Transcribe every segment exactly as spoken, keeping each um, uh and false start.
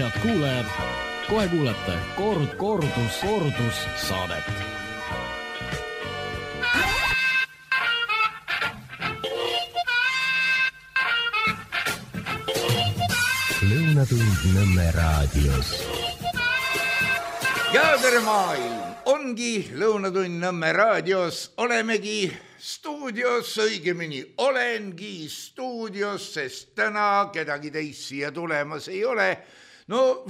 head kuulajad, kohe kuulete Kord, kordus, kordus saadet. Lõunatund Nõmme raadios. Ja tere maailm, ongi Lõunatund Nõmme raadios, olemegi stuudios, õigemini olengi stuudios, sest täna kedagi teist siia tulemas ei ole. No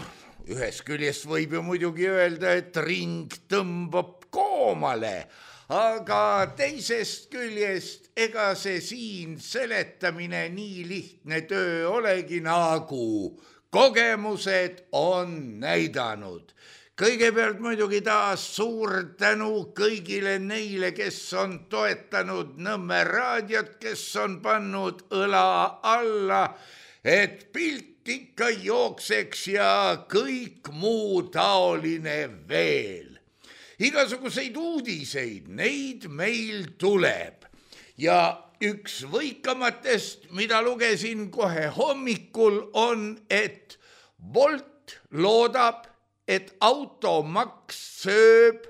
ühest küljest võib ju muidugi öelda, et ring tõmbab koomale, aga teisest küljest ega see siin seletamine nii lihtne töö olegi, nagu kogemused on näidanud. Kõigepealt muidugi taas suur tänu kõigile neile, kes on toetanud Nõmme raadiot, kes on pannud õla alla, et pilt ikka jookseks ja kõik muu taoline veel. Igasuguseid uudiseid, neid meil tuleb. Ja üks võikamatest, mida lugesin kohe hommikul, on, et Bolt loodab, et automaks sööb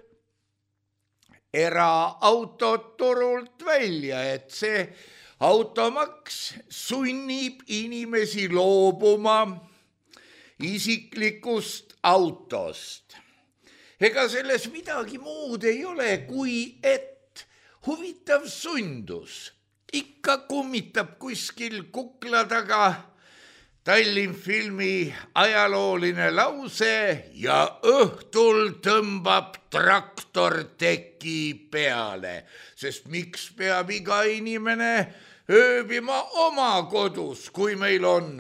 eraautot turult välja, et see automaks sunnib inimesi loobuma isiklikust autost. Ega selles midagi muud ei ole, kui et huvitav sundus. Ikka kummitab kuskil kukla taga Tallinnfilmi ajalooline lause ja õhtul tõmbab traktor teki peale, sest miks peab iga inimene ööbima oma kodus, kui meil on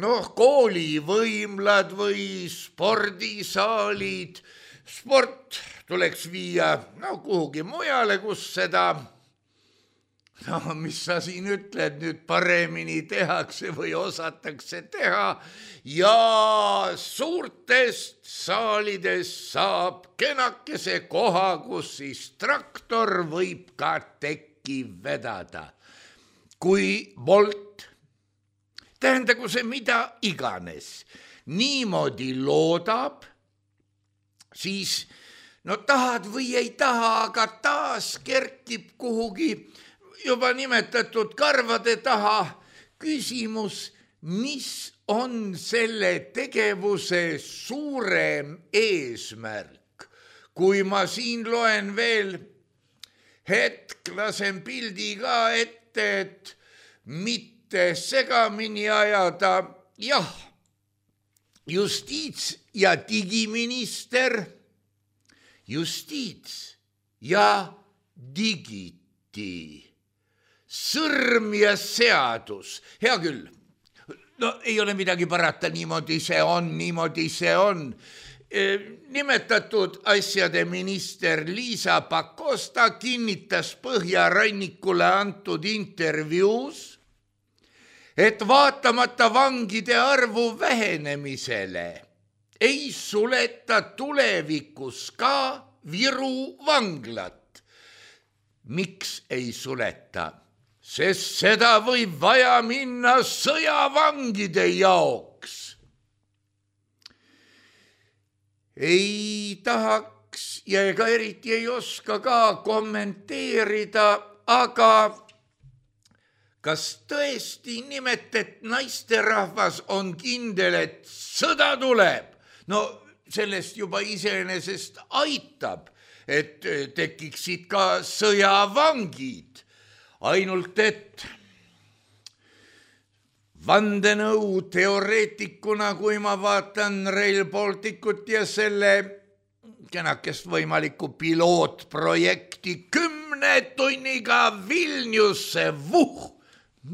noh, koolivõimlad või spordisaalid. Sport tuleks viia no, kuhugi mujale, kus seda no mis sa siin ütled, nüüd paremini tehakse või osatakse teha ja suurtest saalidest saab kenakese koha, kus siis traktor võib ka tekki vedada. Kui Bolt, tähendagu see mida iganes, niimoodi loodab, siis no tahad või ei taha, aga taas kerkib kuhugi juba nimetatud karvade taha küsimus, mis on selle tegevuse suurem eesmärk. Kui ma siin loen veel hetk, lasen pildi ka ette, et mitte segamini ajada, jah, justiits- ja digiminister, justiits- ja digiti. Sõrm ja seadus, hea küll, no ei ole midagi parata, niimoodi see on, niimoodi see on. Nimetatud asjade minister Liisa Pakosta kinnitas Põhjarannikule antud intervjuus, et vaatamata vangide arvu vähenemisele ei suleta tulevikus ka Viru vanglat. Miks ei suleta? Sest seda võib vaja minna sõjavangide jaoks. Ei tahaks ja ega eriti ei oska ka kommenteerida, aga kas tõesti nimetet naisterahvas on kindel, et sõda tuleb? No sellest juba iseenesest aitab, et tekiksid ka sõjavangid. Ainult et vandenõu teoreetikuna, kui ma vaatan Rail Balticut ja selle kenakest võimalikku pilootprojekti kümne tunniga Vilniusse, vuh,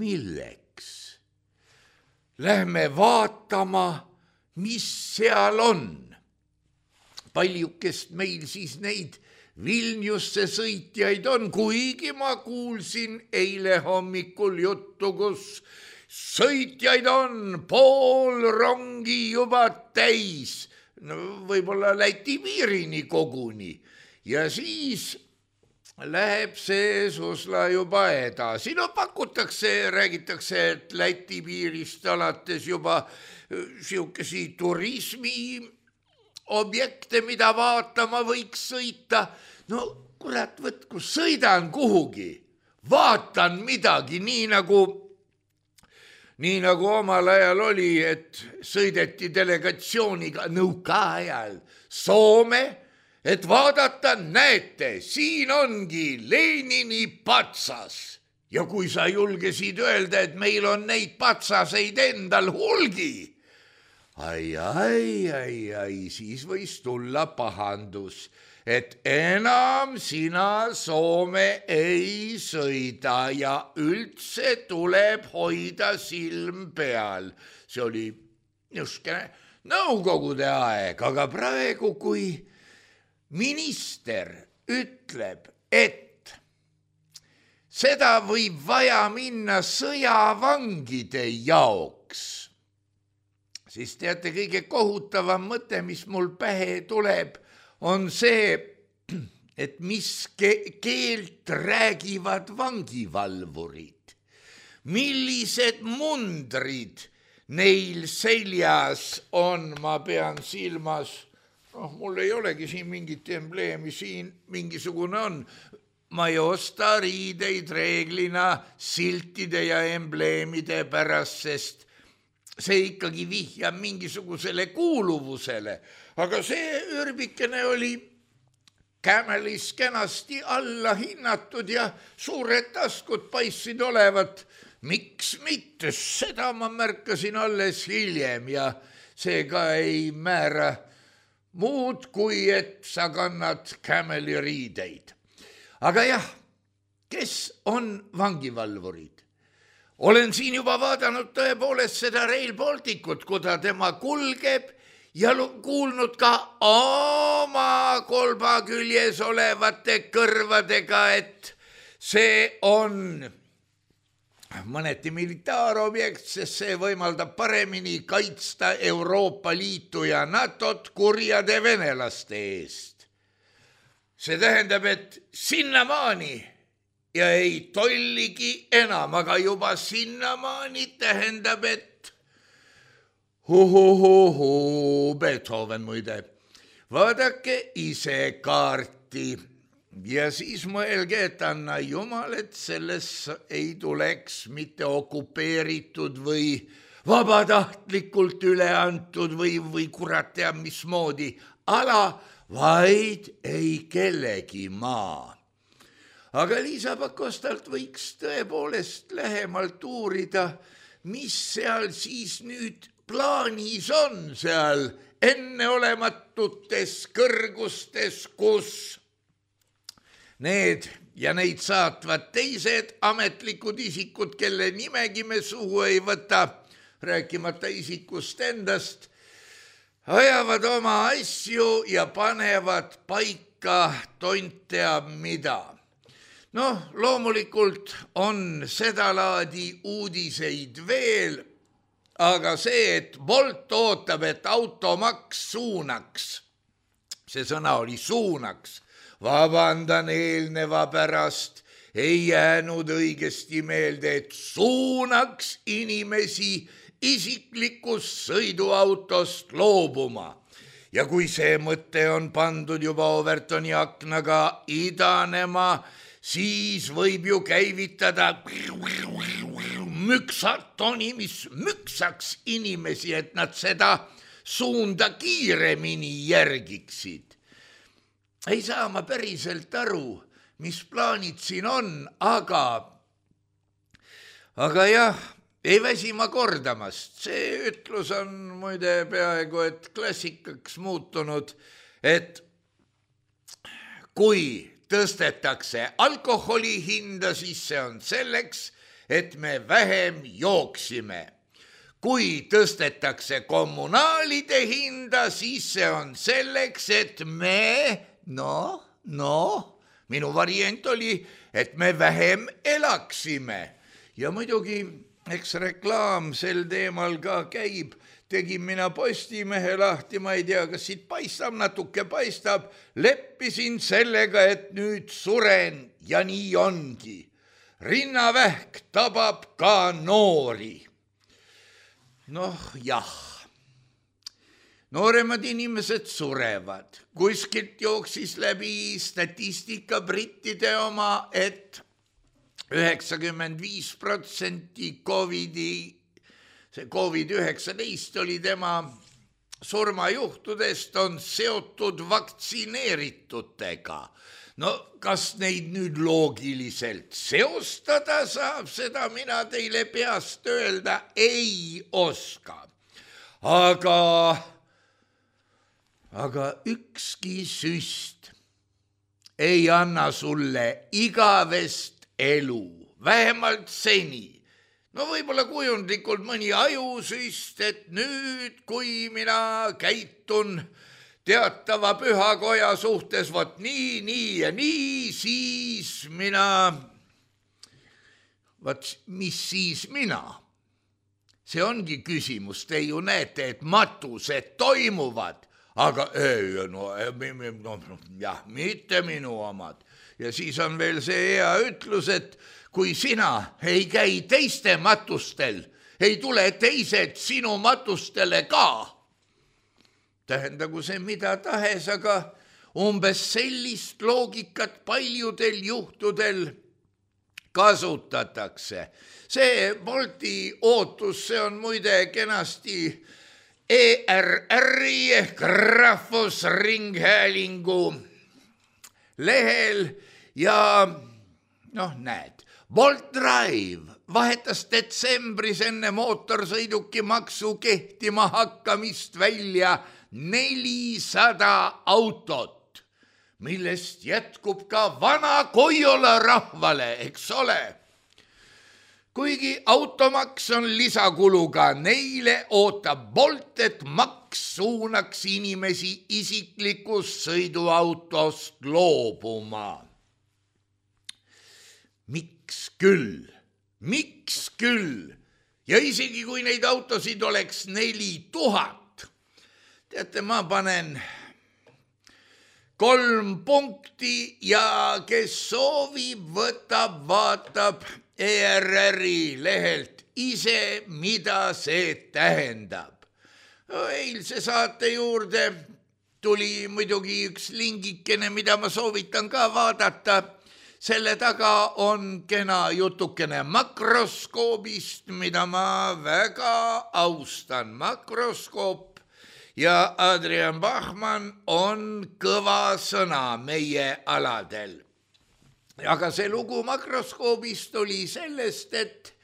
milleks? Lähme vaatama, mis seal on. Paljukest meil siis neid Vilniusse sõitjaid on, kuigi ma kuulsin eile hommikul juttu, kus sõitjaid on pool rongi juba täis, no võib-olla Läti piirini koguni. Ja siis läheb see susla juba edasi. No pakutakse, räägitakse, et Läti piirist alates juba siukesi turismi objekte, mida vaatama võiks sõita. No kurat, võt, kui sõidan kuhugi, vaatan midagi, nii nagu, nii nagu omal ajal oli, et sõideti delegatsiooniga nõukaajal Soome, et vaadata, näete, siin ongi Lenini patsas. Ja kui sa julgesid öelda, et meil on neid patsaseid endal hulgi, ai, ai, ai, ai, siis võis tulla pahandus, et enam sina Soome ei sõida ja üldse tuleb hoida silm peal. See oli niisugune nõukogude aeg, aga praegu, kui minister ütleb, et seda võib vaja minna sõjavangide jaoks, siis teate, kõige kohutavam mõte, mis mul pähe tuleb, on see, et mis ke- keelt räägivad vangivalvurid, millised mundrid neil seljas on, ma pean silmas, noh, mul ei olegi siin mingit embleemi, siin mingisugune on. Ma ei osta riideid reeglina siltide ja embleemide pärast, sest see ikkagi vihjab mingisugusele kuuluvusele. Aga see ürbikene oli Camelis kenasti alla hinnatud ja suured taskud paistsid olevat. Miks mitte? Seda ma märkasin alles hiljem ja see ka ei määra muud, kui et sa kannad Cameli riideid. Aga jah, kes on vangivalvurid? Olen siin juba vaadanud tõepoolest seda Rail Balticut, kuda tema kulgeb ja kuulnud ka oma kolba küljes olevate kõrvadega, et see on mõneti militaarobjekt, sest see võimaldab paremini kaitsta Euroopa Liitu ja NATOt kurjade venelaste eest. See tähendab, et sinnamaani ja ei tolligi enam, aga juba sinnamaani tähendab, et hu-hu-hu-hu, Beethoven muide, vaadake ise kaarti ja siis mõelge, et anna jumal, et selles ei tuleks mitte okupeeritud või vabatahtlikult üle antud või, või kurat teab mismoodi ala, vaid ei kellegi maa. Aga Liisa Pakostalt võiks tõepoolest lähemalt uurida, mis seal siis nüüd plaanis on seal enneolematutes kõrgustes, kus need ja neid saatvad teised ametlikud isikud, kelle nimegi me suhu ei võta, rääkimata isikust endast, ajavad oma asju ja panevad paika tont teab mida. Noh, loomulikult on sedalaadi uudiseid veel, aga see, et Bolt ootab, et automaks suunaks, see sõna oli suunaks, vabandan eelneva pärast, ei jäänud õigesti meelde, et suunaks inimesi isiklikust sõiduautost loobuma. Ja kui see mõte on pandud juba Overtoni aknaga idanema, siis võib ju käivitada müksatoni, mis müksaks inimesi, et nad seda suunda kiiremini järgiksid. Ei saa ma päriselt aru, mis plaanid siin on, aga, aga jah, ei väsi ma kordamast. See ütlus on muide peaaegu et klassikaks muutunud, et kui tõstetakse alkoholi hinda, siis see on selleks, et me vähem jooksime. Kui tõstetakse kommunaalide hinda, siis see on selleks, et me, no, no, minu variant oli, et me vähem elaksime. Ja muidugi eks reklaam sel teemal ka käib, tegin mina Postimehe lahti, ma ei tea, kas siit paistab, natuke paistab, leppisin sellega, et nüüd suren ja nii ongi. Rinnavähk tabab ka noori. Noh, jah. Nooremad inimesed surevad. Kuskilt jooksis läbi statistika brittide oma, et üheksakümmend viis protsenti Covidi see Covid üheksateist oli tema surmajuhtudest on seotud vaktsineeritutega. No kas neid nüüd loogiliselt seostada saab, seda mina teile peast öelda ei oska. Aga, aga ükski süst ei anna sulle igavest elu, vähemalt seni. No võib-olla kujundlikult mõni ajusüst, et nüüd, kui mina käitun teatava pühakoja suhtes, vot nii, nii ja nii, siis mina, vot mis siis mina? See ongi küsimus, te ju näete, et matused toimuvad, aga ei, no, no, jah, mitte minu omad. Ja siis on veel see hea ütlus, et kui sina ei käi teiste matustel, ei tule teised sinu matustele ka. Tähendagu see mida tahes, aga umbes sellist loogikat paljudel juhtudel kasutatakse. See Bolti ootus, see on muide kenasti E R R-i ehk Rahvusringhäälingu lehel ja noh, näed. Bolt Drive vahetas detsembris enne mootorsõiduki maksu kehtima hakkamist välja nelisada autot, millest jätkub ka vana Koiola rahvale, eks ole. Kuigi automaks on lisakuluga, neile ootab Bolt, et maks suunaks inimesi isiklikust sõiduautost loobuma. Miks küll? Miks küll? Ja isegi kui neid autosid oleks neli tuhat, teate, ma panen kolm punkti ja kes soovib, võtab, vaatab E R R-i lehelt ise, mida see tähendab. Eilse saate juurde tuli muidugi üks lingikene, mida ma soovitan ka vaadata. Selle taga on kena jutukene makroskoobist, mida ma väga austan. Makroskoop ja Adrian Bachmann on kõva sõna meie aladel. Aga see lugu makroskoobist oli sellest, et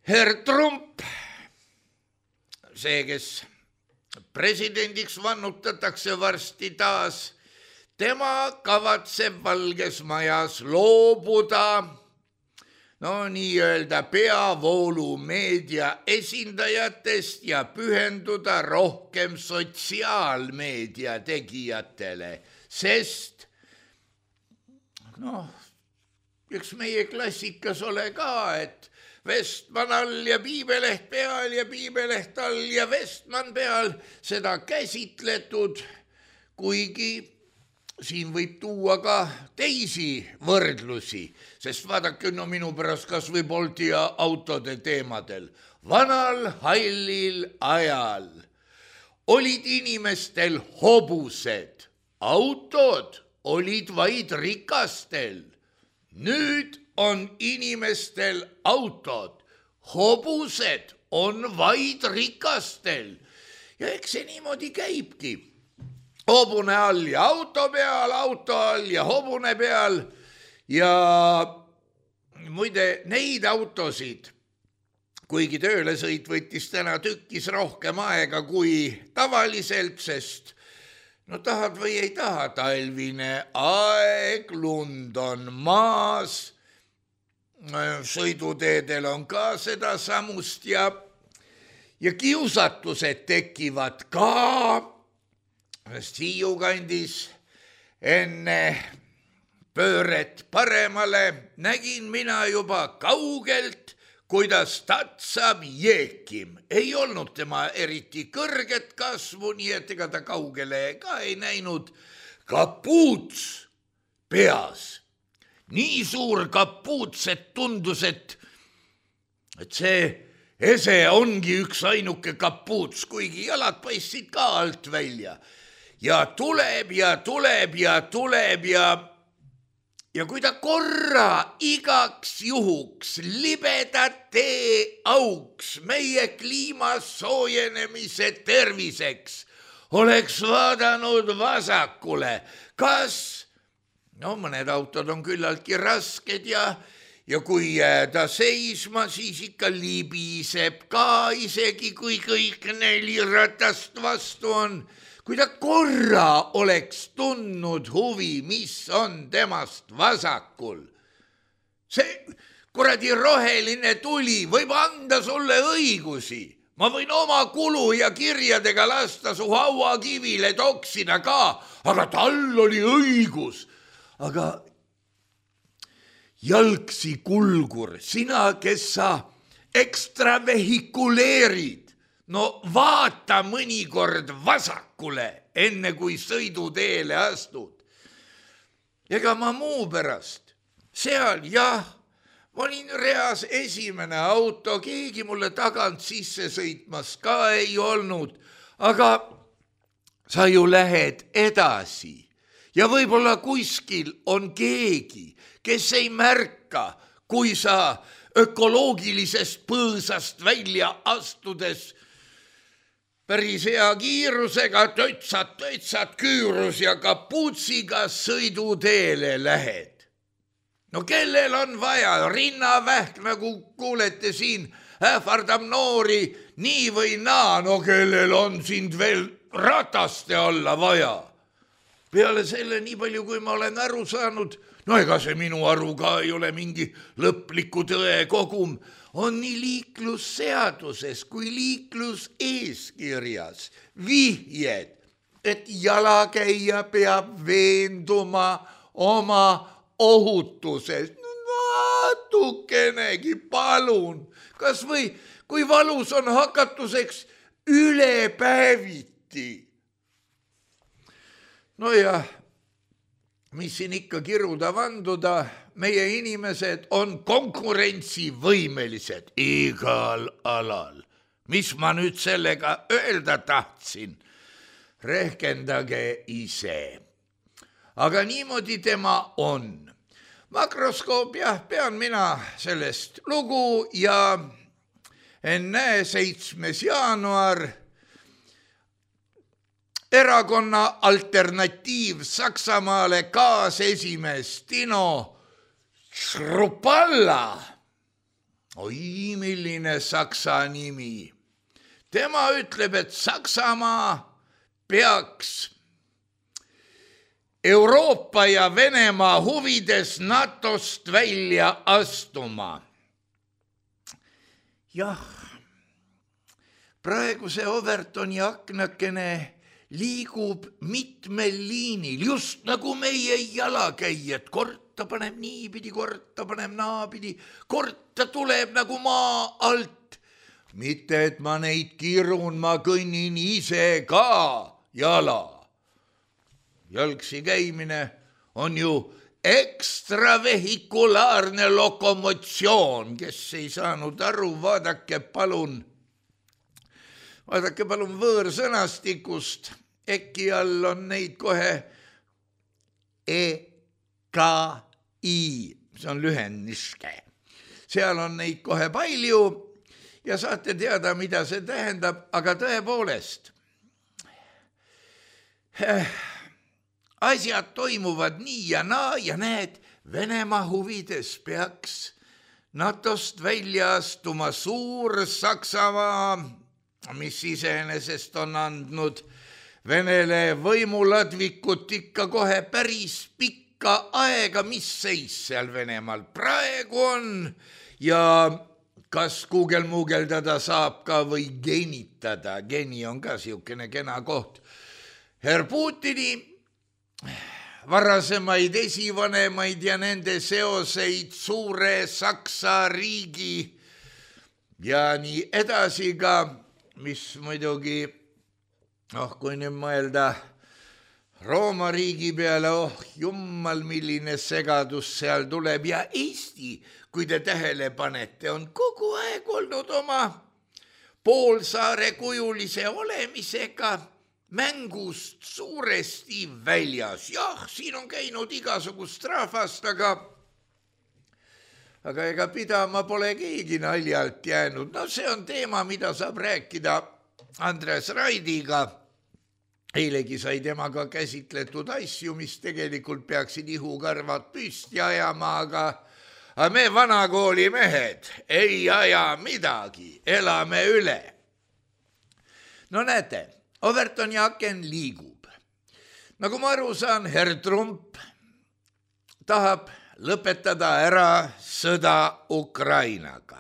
herr Trump, see, kes presidendiks vannutatakse varsti taas, tema kavatseb Valges Majas loobuda no nii-öelda peavoolumeedia esindajatest ja pühenduda rohkem sotsiaalmeedia tegijatele, sest noh, üks meie klassikas ole ka, et Vestman all ja piibeleht peal ja piibeleht all ja Vestman peal, seda käsitletud, kuigi siin võib tuua ka teisi võrdlusi, sest vaadake no minu pärast kas või Bolti ja autode teemadel. Vanal hallil ajal olid inimestel hobused, autod olid vaid rikastel. Nüüd on inimestel autod, hobused on vaid rikastel. Ja eks see niimoodi käibki. Hobune all ja auto peal, auto all ja hobune peal ja muide neid autosid, kuigi töölesõit võttis täna tükkis rohkem aega kui tavaliselt, sest no tahad või ei taha, talvine aeg, lund on maas, sõiduteedel on ka seda samust ja, ja kiusatused tekivad ka. Hiiu kandis enne pööret paremale nägin mina juba kaugelt, kuidas tatsab jeekim. Ei olnud tema eriti kõrget kasvu, nii et ega ta kaugele ka ei näinud. Kapuuts peas. Nii suur kapuuts, et tundus, et, et see ese ongi üks ainuke kapuuts, kuigi jalad paistsid ka alt välja. Ja tuleb ja tuleb ja tuleb ja, ja kui ta korra igaks juhuks libedat tee auks meie kliima soojenemise terviseks oleks vaadanud vasakule, kas, no mõned autod on küllaltki rasked ja Ja kui ta seisma, siis ikka libiseb ka, isegi kui kõik neli ratast vastu on. Kui ta korra oleks tundnud huvi, mis on temast vasakul. See kuradi roheline tuli võib anda sulle õigusi. Ma võin oma kulu ja kirjadega lasta su hauakivile toksida ka, aga tal oli õigus. Aga jalgsi kulgur, sina, kes sa ekstravehikuleerid, no vaata mõnikord vasakule, enne kui sõiduteele astud. Ega ma muu pärast, seal jah, ma olin reas esimene auto, keegi mulle tagant sisse sõitmas ka ei olnud, aga sa ju lähed edasi ja võib-olla kuskil on keegi, kes ei märka, kui sa ökoloogilisest põõsast välja astudes päris hea kiirusega tötsad, tötsad küürus ja kapuutsiga sõiduteele lähed. No kellel on vaja, rinnavähk, nagu kuulete siin, ähvardab noori nii või naa, no kellel on sind veel rataste alla vaja. Peale selle nii palju, kui ma olen aru saanud, no ega see minu aru ka ei ole mingi lõpliku tõe kogum, on nii liiklusseaduses kui liikluseeskirjas vihjed, et jalakäija peab veenduma oma ohutuses. Natukenegi palun, kas või kui valus on hakatuseks ülepäeviti. No ja mis siin ikka kiruda vanduda, meie inimesed on konkurentsivõimelised igal alal. Mis ma nüüd sellega öelda tahtsin? Rehkendage ise. Aga niimoodi tema on. Makroskoop, jah, pean mina sellest lugu ja enne seitsmes jaanuar erakonna alternatiiv Saksamaale kaasesimees Tino Schrupalla. Oi, milline saksa nimi. Tema ütleb, et Saksamaa peaks Euroopa ja Venemaa huvides NATOst välja astuma. Jah, praegu see Overtoni aknakene liigub mitmel liinil, just nagu meie jalakäijad. Kord ta paneb niipidi, kord ta paneb naapidi, kord ta tuleb nagu maa alt. Mitte, et ma neid kirun, ma kõnnin ise ka jala. Jalgsi käimine on ju ekstravehikulaarne lokomotsioon, kes ei saanud aru, vaadake palun, vaadake palun võõrsõnastikust, äkki all on neid kohe E K I, see on lühendiske. Seal on neid kohe palju ja saate teada, mida see tähendab, aga tõepoolest. Asjad toimuvad nii ja naa ja näed, Venemaa huvides peaks NATOst välja astuma suur Saksamaa, mis iseenesest on andnud Venele võimuladvikut ikka kohe päris pikka aega, mis seis seal Venemaal praegu on ja kas kuugelmuugeldada saab ka või genitada. Geni on ka siukene kena koht. Herr Putini varasemaid esivanemaid ja nende seoseid suure Saksa riigi ja nii edasi ka, mis muidugi, oh kui nüüd mõelda Rooma riigi peale, oh jummal, milline segadus seal tuleb ja Eesti, kui te tähele panete, on kogu aeg olnud oma poolsaare kujulise olemisega mängust suuresti väljas. Jah, siin on käinud igasugust rahvast, aga, aga ega pidama pole keegi naljalt jäänud. No see on teema, mida saab rääkida Andres Raidiga. Eilegi sai temaga käsitletud asju, mis tegelikult peaksid ihukarvad püsti ajama, aga, aga me vanakooli mehed ei aja midagi, elame üle. No näete, Overton ja Aken liigub. Nagu ma aru saan, Herr Trump tahab lõpetada ära sõda Ukrainaga.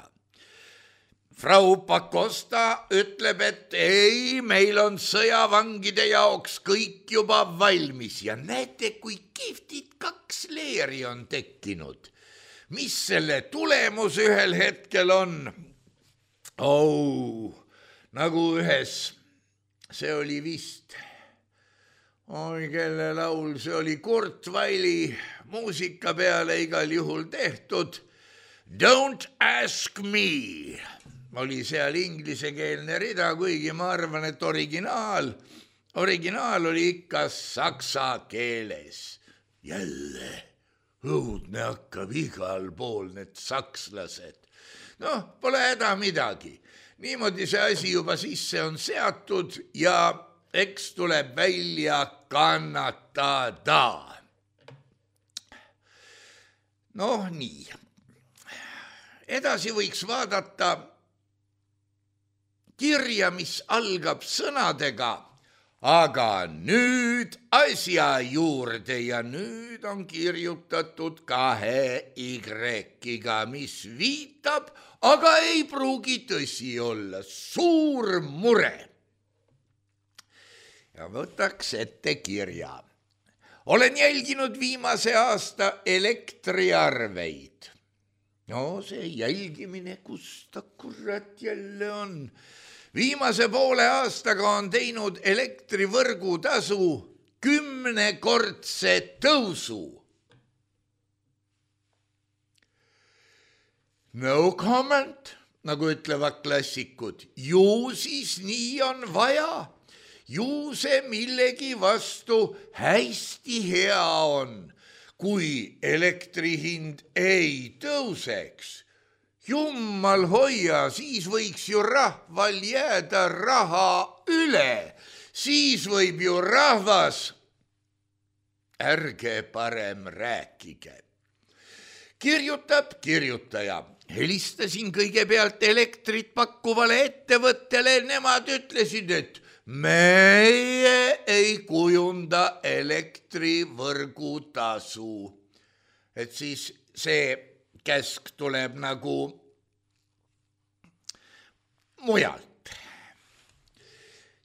Frau Pakosta ütleb, et ei, meil on sõjavangide jaoks kõik juba valmis ja näete, kui kihvtid kaks leeri on tekkinud. Mis selle tulemus ühel hetkel on? Oh, nagu ühes, see oli vist, oi, kelle laul, see oli Kurt Weili muusika peale igal juhul tehtud. Don't ask me. Oli seal inglisekeelne rida, kuigi ma arvan, et originaal, originaal oli ikka saksa keeles. Jälle õudne hakkab igal pool need sakslased. Noh, pole häda midagi. Niimoodi see asi juba sisse on seatud ja eks tuleb välja kannatada. Noh, nii. Edasi võiks vaadata kirja, mis algab sõnadega, aga nüüd asja juurde ja nüüd on kirjutatud kahe Y-iga, mis viitab, aga ei pruugi tõsi olla, suur mure. Ja võtaks ette kirja. Olen jälginud viimase aasta elektriarveid. No see jälgimine, kus ta kurat jälle on. Viimase poole aastaga on teinud elektrivõrgu tasu kümnekordse tõusu. No comment, nagu ütlevad klassikud. Ju siis nii on vaja. Ju see millegi vastu hästi hea on, kui elektrihind ei tõuseks. Jummal hoia, siis võiks ju rahval jääda raha üle. Siis võib ju rahvas, ärge parem rääkige. Kirjutab kirjutaja. Helistasin kõigepealt elektrit pakkuvale ettevõttele. Nemad ütlesid, et meie ei kujunda elektrivõrgu tasu. Et siis see käsk tuleb nagu mujalt.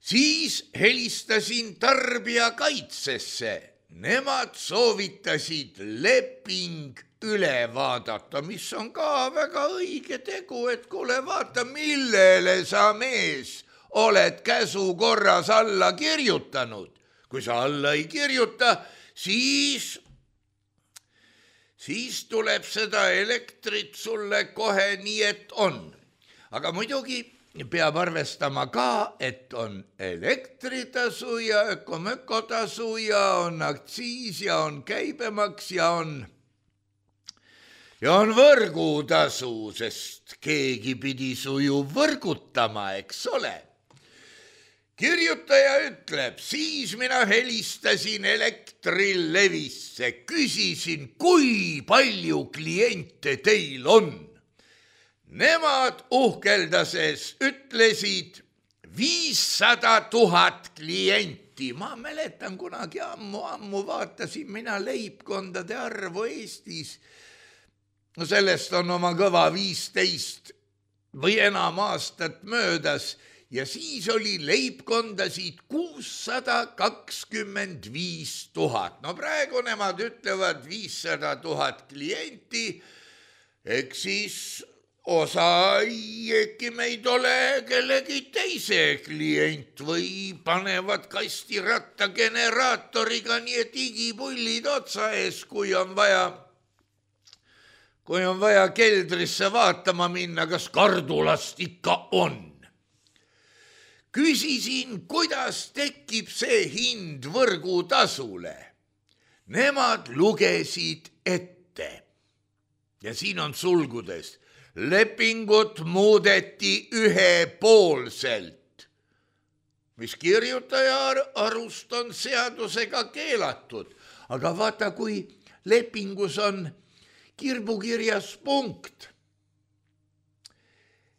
Siis helistasin tarbijakaitsesse. Nemad soovitasid leping üle vaadata, mis on ka väga õige tegu, et kuule vaata, millele sa mees oled käsu korras alla kirjutanud. Kui sa alla ei kirjuta, siis... siis tuleb seda elektrit sulle kohe nii, et on. Aga muidugi peab arvestama ka, et on elektritasu ja ökomökotasu ja on aktsiis ja on käibemaks ja on, ja on võrgutasu, sest keegi pidi su ju võrgutama, eks ole. Kirjutaja ütleb, siis mina helistasin Elektrilevisse, küsisin, kui palju kliente teil on. Nemad uhkeldases ütlesid viissada tuhat klienti. Ma mäletan kunagi ammu, ammu vaatasin mina leibkondade arvu Eestis. No sellest on oma kõva viisteist või enam aastat möödas. Ja siis oli leibkondasid kuussada kakskümmend viis tuhat. No praegu nemad ütlevad viissada tuhat klienti, eks siis osa äkki meid ole kellegi teise klient või panevad kastiratta generaatoriga nii et igipullid otsa ees, kui on vaja, kui on vaja keldrisse vaatama minna, kas kardulast ikka on. Küsisin, kuidas tekib see hind võrgutasule. Nemad lugesid ette. Ja siin on sulgudes. Lepingut muudeti ühepoolselt, mis kirjutaja arust on seadusega keelatud. Aga vaata, kui lepingus on kirbukirjas punkt,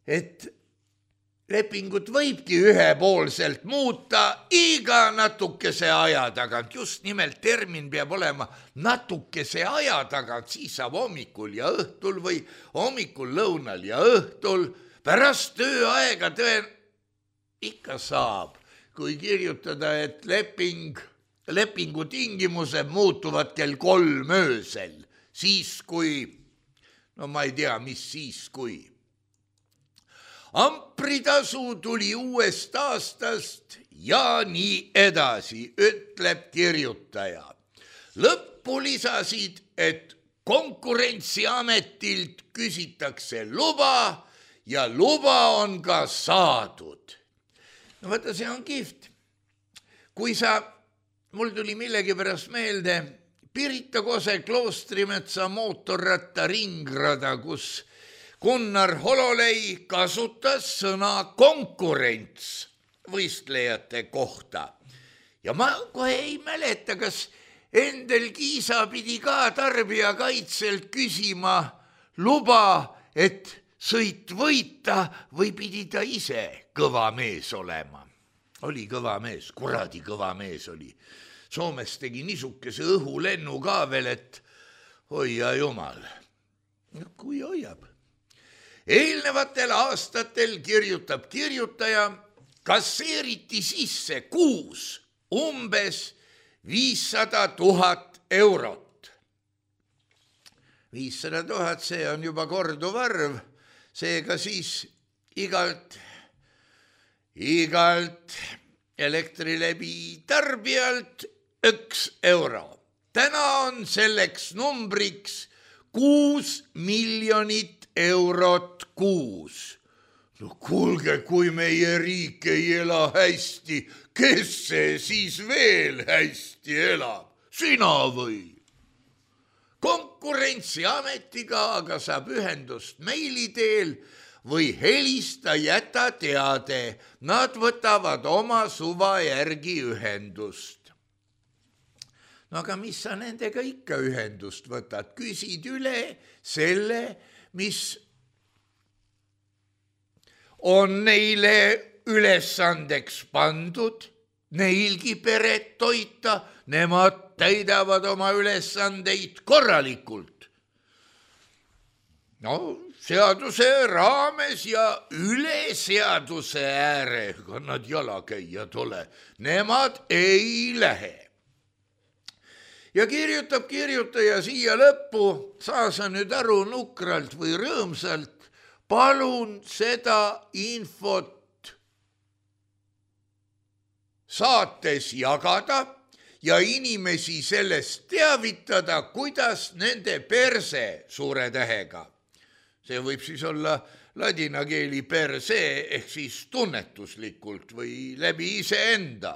et lepingut võibki ühepoolselt muuta iga natukese aja tagant. Just nimelt termin peab olema natukese aja tagant, siis saab hommikul ja õhtul või hommikul, lõunal ja õhtul. Pärast tööaega tõen ikka saab, kui kirjutada, et leping, lepingu tingimused muutuvad kell kolm öösel. Siis kui, no ma ei tea, mis siis kui. Ampritasu tuli uuest aastast ja nii edasi, ütleb kirjutaja. Lõppu lisasid, et Konkurentsiametilt küsitakse luba ja luba on ka saadud. No vaata, see on kihvt. Kui sa, mul tuli millegi pärast meelde, Pirita Kose Kloostrimetsa mootorratta ringrada, kus Gunnar Hololei kasutas sõna konkurents võistlejate kohta. Ja ma kohe ei mäleta, kas Endel Kiisa pidi ka tarbijakaitselt küsima luba, et sõit võita või pidi ta ise kõva mees olema. Oli kõva mees, kuradi kõva mees oli. Soomes tegi niisukese õhulennu ka veel, et hoia jumal. No, kui hoiab. Eelnevatel aastatel, kirjutab kirjutaja, kasseeriti sisse kuus umbes viissada tuhat eurot. viissada tuhat, see on juba korduv arv, seega siis igalt, igalt Elektrilevi tarbijalt üks euro. Täna on selleks numbriks kuus miljonit eurot kuus. No kuulge, kui meie riik ei ela hästi, kes see siis veel hästi elab? Sina või? Konkurentsiametiga aga saab ühendust meili teel või helista, jäta teade. Nad võtavad oma suva järgi ühendust. No aga mis sa nendega ikka ühendust võtad? Küsid üle selle, mis on neile ülesandeks pandud, neilgi peret toita, nemad täidavad oma ülesandeid korralikult. No seaduse raames ja üle seaduse ääre, kui nad jalakäijad ole, nemad ei lähe. Ja kirjutab kirjutaja siia lõppu, saa sa nüüd aru nukralt või rõõmsalt, palun seda infot saates jagada ja inimesi sellest teavitada, kuidas nende perse suure tähega. See võib siis olla ladina keeli perse ehk siis tunnetuslikult või läbi iseenda.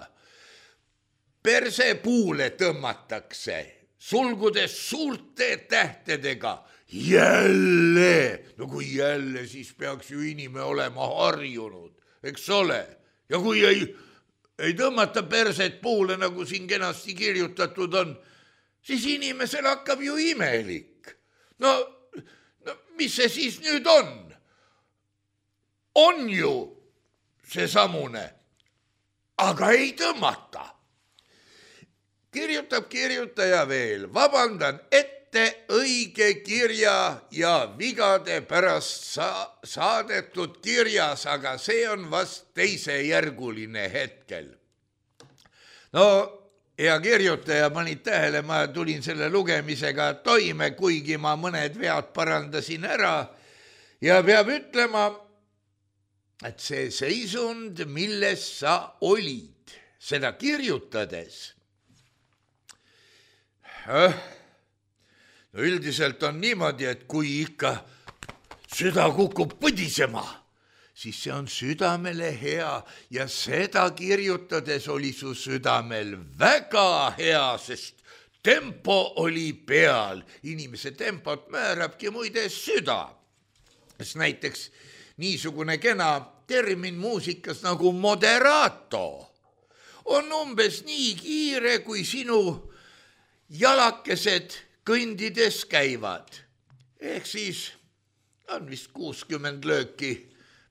Perse puule tõmmatakse, sulgudes suurte tähtedega. Jälle, no kui jälle, siis peaks ju inimene olema harjunud, eks ole. Ja kui ei, ei tõmmata perset puule, nagu siin kenasti kirjutatud on, siis inimesel hakkab ju imelik. No, no mis see siis nüüd on? On ju see samune, aga ei tõmmata. Kirjutab kirjutaja veel, vabandan ette õige kirja ja vigade pärast sa- saadetud kirjas, aga see on vast teisejärguline hetkel. No, hea kirjutaja, panid tähele, ma tulin selle lugemisega toime, kuigi ma mõned vead parandasin ära ja peab ütlema, et see seisund, milles sa olid, seda kirjutades, äh, no üldiselt on niimoodi, et kui ikka süda kukub põdisema, siis see on südamele hea ja seda kirjutades oli su südamel väga hea, sest tempo oli peal. Inimese tempot määrabki muide süda. Sest näiteks niisugune kena termin muusikas nagu moderato on umbes nii kiire, kui sinu jalakesed kõndides käivad. Ehk siis on vist kuuskümmend lööki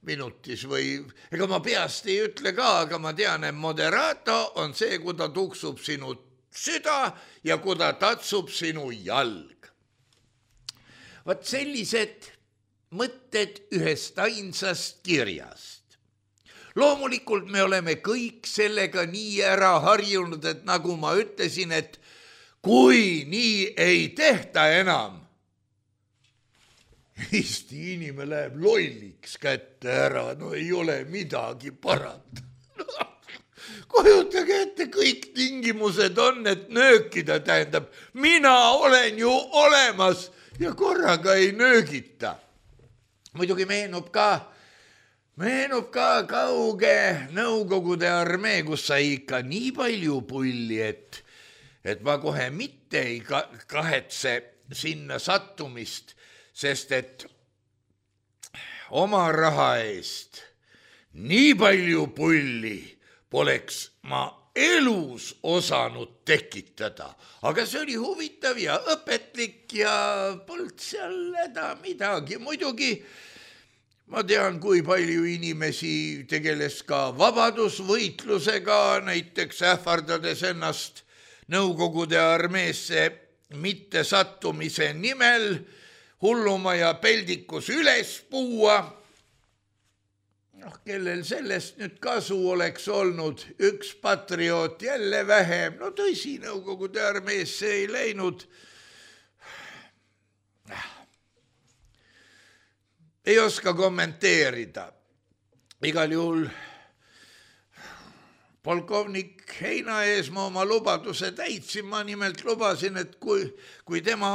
minutis või, ega ma peast ei ütle ka, aga ma tean, et moderato on see, kui ta tuksub sinu süda ja kui ta tatsub sinu jalg. Vaat sellised mõtted ühest ainsast kirjast. Loomulikult me oleme kõik sellega nii ära harjunud, et nagu ma ütlesin, et kui nii ei tehta enam, Eesti inimene läheb lolliks kätte ära, no ei ole midagi parata. Kujutage ette, kõik tingimused on, et nöökida tähendab, mina olen ju olemas ja korraga ei nöögita. Muidugi meenub ka, meenub ka kauge Nõukogude armee, kus sai ikka nii palju pulli, et, et ma kohe mitte ei kahetse sinna sattumist, sest et oma raha eest nii palju pulli poleks ma elus osanud tekitada, aga see oli huvitav ja õpetlik ja polnud seal häda midagi. Muidugi ma tean, kui palju inimesi tegeles ka vabadusvõitlusega, näiteks ähvardades ennast Nõukogude armeesse mitte sattumise nimel hulluma ja peldikus üles puua. noh, kellel sellest nüüd kasu oleks olnud, üks patrioot jälle vähem, no tõsi, Nõukogude armeesse ei läinud. Ei oska kommenteerida. Igal juhul polkovnik Heinaeesmaa oma lubaduse täitsin, ma nimelt lubasin, et kui, kui tema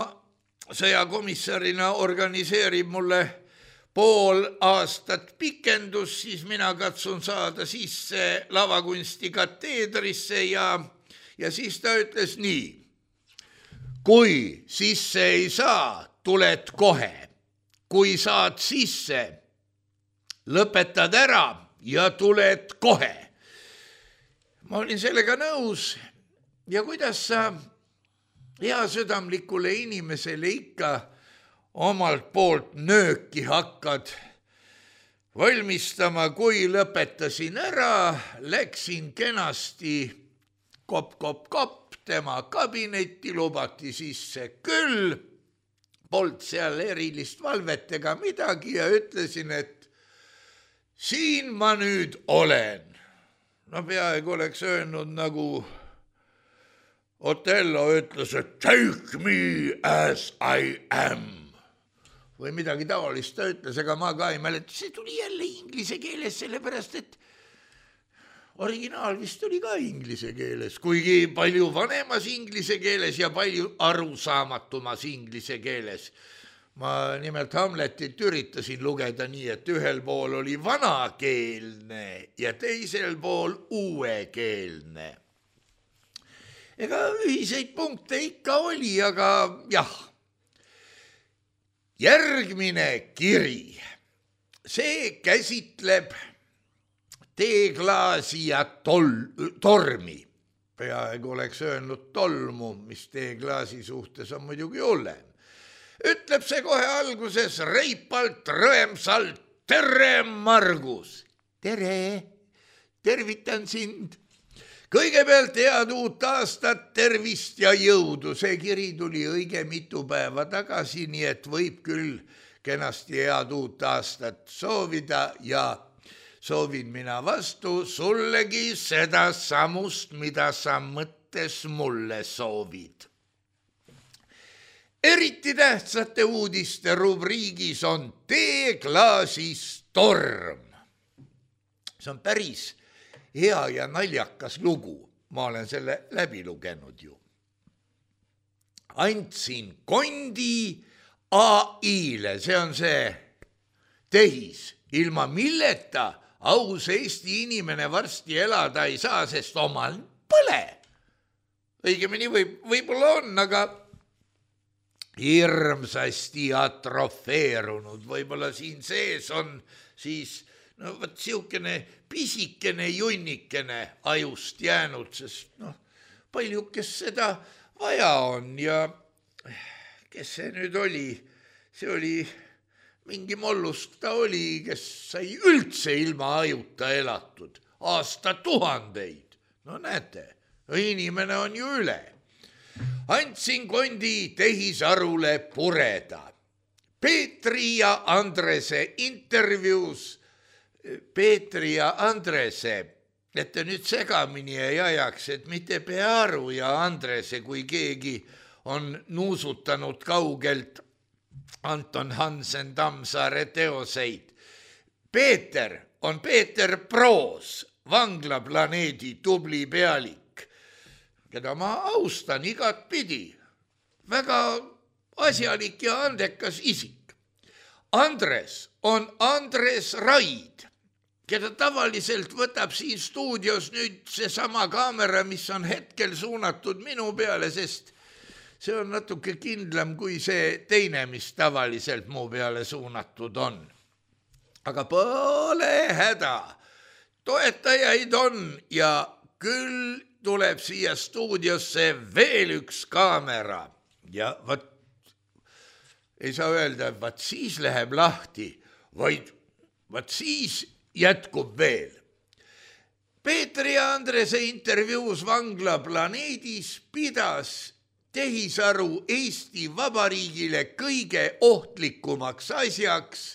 sõjakomissarina organiseerib mulle pool aastat pikendus, siis mina katsun saada sisse lavakunsti kateedrisse ja, ja siis ta ütles nii, kui sisse ei saa, tuled kohe, kui saad sisse, lõpetad ära ja tuled kohe. Ma olin sellega nõus ja kuidas sa heasüdamlikule inimesele ikka omalt poolt nööki hakkad valmistama, kui lõpetasin ära, läksin kenasti kopp-kopp-kopp tema kabinetti, lubati sisse küll, polnud seal erilist valvet ega midagi ja ütlesin, et siin ma nüüd olen. No peaaegu oleks öelnud nagu Otello ütles, et take me as I am. Või midagi taolist ta ütles, aga ma ka ei mäleta. See tuli jälle inglise keeles, sellepärast, et originaal vist tuli ka inglise keeles, kuigi palju vanemas inglise keeles ja palju arusaamatumas inglise keeles. Ma nimelt Hamletit üritasin lugeda nii, et ühel pool oli vanakeelne ja teisel pool uuekeelne. Ega ühiseid punkte ikka oli, aga jah. Järgmine kiri, see käsitleb teeklaasi ja tol, tormi. Peaaegu oleks öelnud tolmu, mis teeklaasi suhtes on muidugi hullem. Ütleb see kohe alguses reipalt, rõemsalt, tere Margus. Tere, tervitan sind. Kõigepealt head uut aastat, tervist ja jõudu. See kiri tuli õige mitu päeva tagasi, nii et võib küll kenasti head uut aastat soovida ja soovin mina vastu sullegi seda samust, mida sa mõttes mulle soovid. eriti tähtsate uudiste rubriigis on teeklaasis torm. See on päris hea ja naljakas lugu. Ma olen selle läbi lugenud ju. Andsin kondi A I-le, see on see tehis, ilma milleta aus Eesti inimene varsti elada ei saa, sest omal põle. Õigemini võib, võib-olla on, aga hirmsasti atrofeerunud. Võib-olla siin sees on siis no võt siukene pisikene junnikene ajust jäänud, sest noh, palju kes seda vaja on ja kes see nüüd oli, see oli mingi mollusk ta oli, kes sai üldse ilma ajuta elatud aastatuhandeid. No näete, inimene on ju üle. Andsin kondi tehisarule pureda. Peetri ja Andrese intervjuus Peetri ja Andrese, et te nüüd segamini ei ajaks, et mitte Pearu ja Andrese, kui keegi on nuusutanud kaugelt Anton Hansen Tammsaare teoseid. Peeter on Peeter Proos, vanglaplaneedi tubli pealik, keda ma austan igat pidi. Väga asjalik ja andekas isik. Andres on Andres Raid, keda tavaliselt võtab siin stuudios nüüd see sama kaamera, mis on hetkel suunatud minu peale, sest see on natuke kindlam kui see teine, mis tavaliselt mu peale suunatud on. Aga pole häda, toetajaid on ja küll tuleb siia stuudiosse veel üks kaamera ja vat ei saa öelda, et vat siis läheb lahti, vaid vat siis jätkub veel. Peetri ja Andrese intervjuus vanglaplaneedis pidas tehisaru Eesti Vabariigile kõige ohtlikumaks asjaks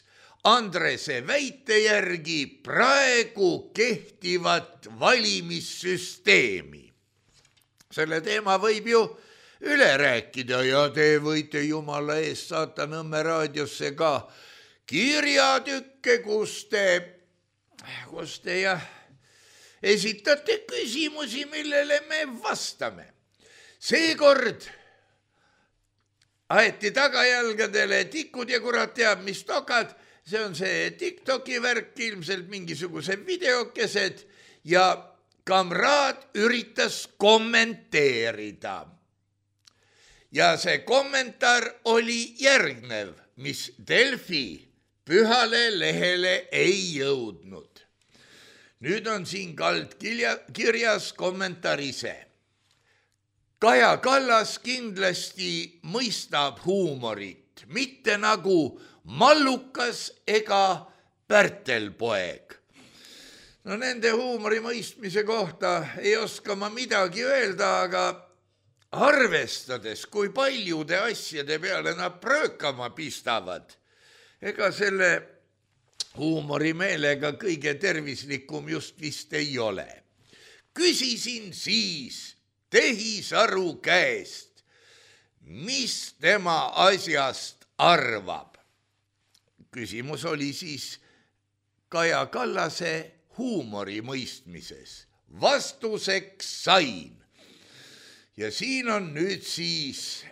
Andrese väite järgi praegu kehtivat valimissüsteemi. Selle teema võib ju üle rääkida ja te võite jumala eest saata Nõmme raadiosse ka kirjatükke, kus te, kus te jah, esitate küsimusi, millele me vastame. Seekord aeti tagajalgadele tikud ja kurat teab, mis tokad. See on see TikToki värk, ilmselt mingisugused videokesed ja kamraad üritas kommenteerida. Ja see kommentaar oli järgnev, mis Delfi pühale lehele ei jõudnud. Nüüd on siin kald kirjas kommentaar ise. Kaja Kallas kindlasti mõistab huumorit, mitte nagu Mallukas ega Pärtelpoeg. No nende huumori mõistmise kohta ei oska ma midagi öelda, aga arvestades, kui paljude asjade peale nad pröökama pistavad, ega selle huumorimeelega kõige tervislikum just vist ei ole. Küsisin siis tehisaru käest, mis tema asjast arvab. Küsimus oli siis Kaja Kallase huumori mõistmises. Vastuseks sain. Ja siin on nüüd siis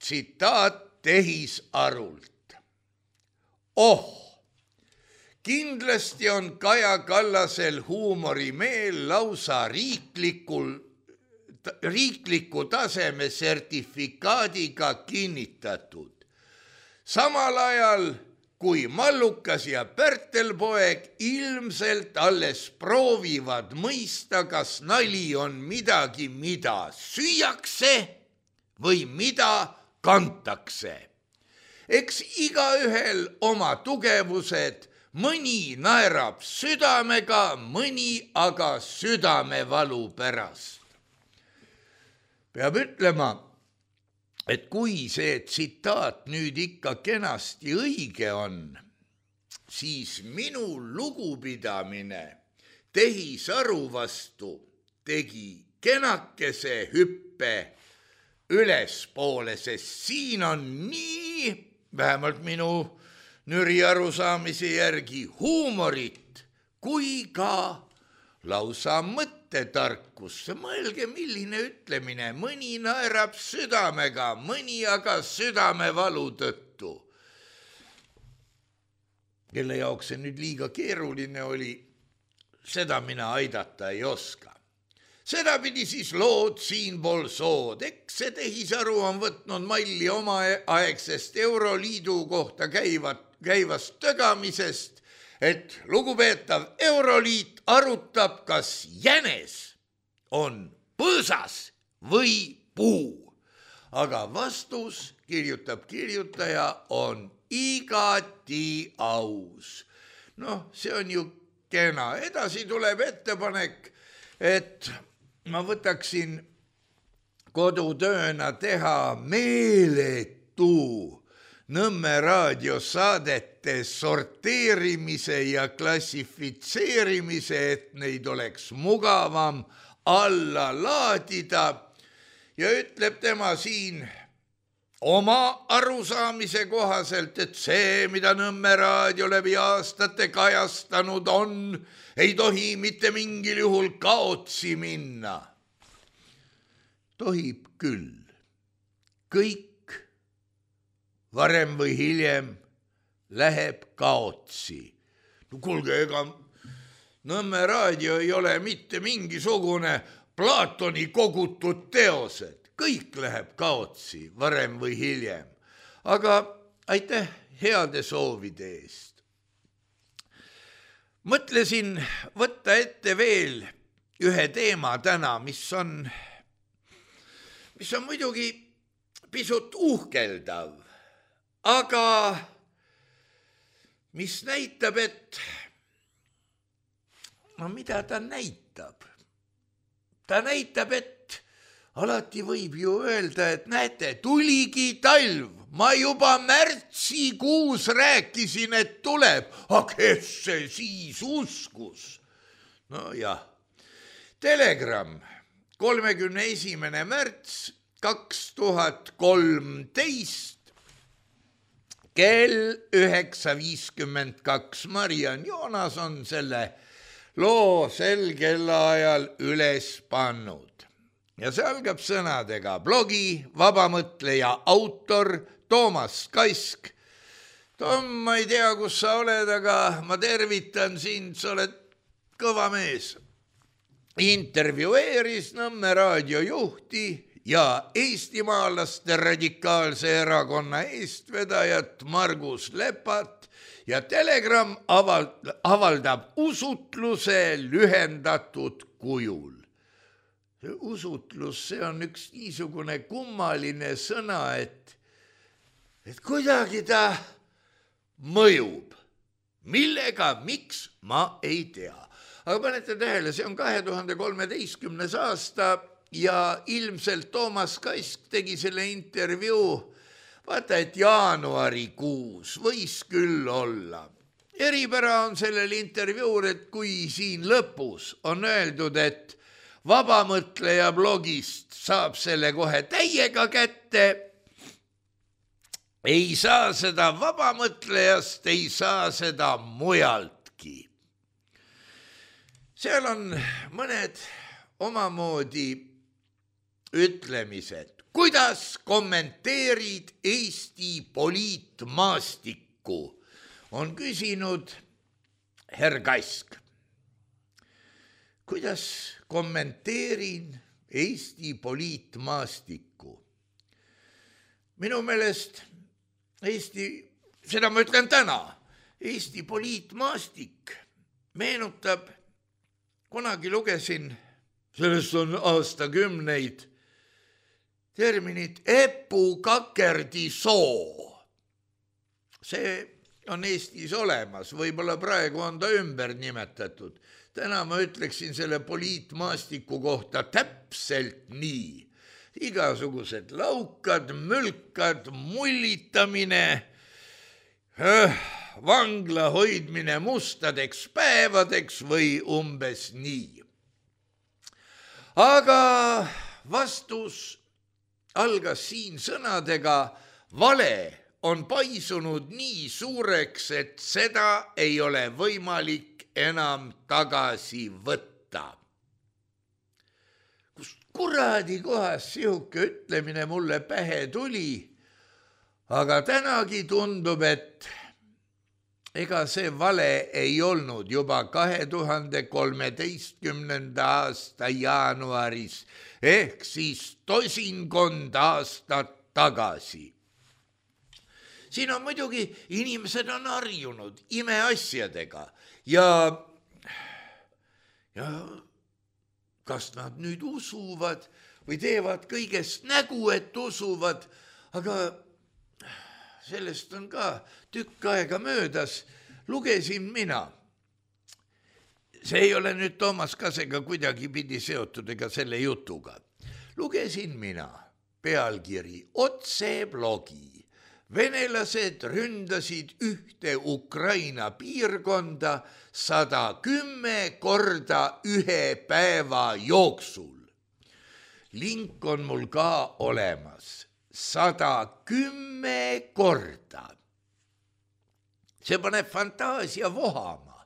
tsitaat tehisarult. Oh, kindlasti on Kaja Kallasel huumorimeel lausa riiklikul, riikliku taseme sertifikaadiga kinnitatud. Samal ajal, kui Mallukas ja Pärtelpoeg ilmselt alles proovivad mõista, kas nali on midagi, mida süüakse või mida kantakse. Eks igaühel oma tugevused, mõni naerab südamega, mõni aga südamevalu pärast. Peab ütlema, et kui see tsitaat nüüd ikka kenasti õige on, siis minu lugupidamine tehisaru vastu tegi kenakese hüppe ülespoole, sest siin on nii, vähemalt minu nüri arusaamise järgi, huumorit kui ka lausa mõttetarkus. Mõelge, milline ütlemine, mõni naerab südamega, mõni aga südamevalu tõttu. Kelle jaoks see nüüd liiga keeruline oli, seda mina aidata ei oska. Seda pidi siis lood siinpool sood. Eks see tehisaru on võtnud malli oma aegsest Euroliidu kohta käivat, käivast tögamisest, et lugupeetav Euroliit arutab, kas jänes on põõsas või puu. Aga vastus, kirjutab kirjutaja, on igati aus. Noh, see on ju kena. Edasi tuleb ettepanek, et ma võtaksin kodutööna teha meeletu Nõmme raadiosaadete sorteerimise ja klassifitseerimise, et neid oleks mugavam alla laadida. Ja ütleb tema siin oma arusaamise kohaselt, et see, mida Nõmme raadio läbi aastate kajastanud on, ei tohi mitte mingil juhul kaotsi minna. Tohib küll. Kõik varem või hiljem läheb kaotsi. No kuulge, ega Nõmme raadio ei ole mitte mingisugune Platoni kogutud teosed. Kõik läheb kaotsi varem või hiljem. Aga aitäh heade soovide eest. Mõtlesin võtta ette veel ühe teema täna, mis on, mis on muidugi pisut uhkeldav, aga mis näitab, et no mida ta näitab? Ta näitab, et alati võib ju öelda, et näete, tuligi talv. Ma juba märtsikuus rääkisin, et tuleb. Aga kes see siis uskus? No jah. Telegramm, kolmekümne esimene märts kaks tuhat kolmteist, kell üheksa viiskümmend kaks. Mariann Joonas on selle loo sel kellaajal üles pannud. Ja see algab sõnadega blogi vabamõtleja autor Toomas Kask. Tom, ma ei tea, kus sa oled, aga ma tervitan sind, sa oled kõva mees. Intervjueeris Nõmme raadiojuhti ja eestimaalaste radikaalse erakonna eestvedajat Margus Lepat ja Telegramm avaldab usutluse lühendatud kujul. See usutlus, see on üks niisugune kummaline sõna, et, et kuidagi ta mõjub. Millega, miks, ma ei tea. Aga panete tähele, see on kahe tuhande kolmeteistkümnes aasta ja ilmselt Toomas Kask tegi selle intervjuu, vaata, et jaanuarikuus võis küll olla. Eripära on sellel intervjuul, et kui siin lõpus on öeldud, et vabamõtleja blogist saab selle kohe täiega kätte, ei saa seda vabamõtlejast, ei saa seda mujaltki. Seal on mõned omamoodi ütlemised. Kuidas kommenteerid Eesti poliitmaastikku? On küsinud herr Kask. Kuidas kommenteerin Eesti poliitmaastikku? Minu meelest Eesti, seda ma ütlen täna, Eesti poliitmaastik meenutab, kunagi lugesin, sellest on aastakümneid, terminit epukakerdi soo. See on Eestis olemas, võib-olla praegu on ta ümber nimetatud. Täna ma ütleksin selle poliitmaastiku kohta täpselt nii. Igasugused laukad, mülkad, mullitamine, vangla hoidmine mustadeks päevadeks või umbes nii. Aga vastus algas siin sõnadega: vale on paisunud nii suureks, et seda ei ole võimalik enam tagasi võtta. Kust kuradi kohas sihuke ütlemine mulle pähe tuli, aga tänagi tundub, et ega see vale ei olnud juba kahe tuhande kolmeteistkümnenda aasta jaanuaris ehk siis tosinkond aastat tagasi. Siin on muidugi, inimesed on harjunud imeasjadega ja, ja kas nad nüüd usuvad või teevad kõigest nägu, et usuvad, aga sellest on ka tükk aega möödas, lugesin mina. See ei ole nüüd Toomas Kasega kuidagi pidi seotud ega selle jutuga. Lugesin mina pealkiri otse blogi. Venelased ründasid ühte Ukraina piirkonda sada kümme korda ühe päeva jooksul. Link on mul ka olemas. Sada kümme korda. See paneb fantaasia vohama.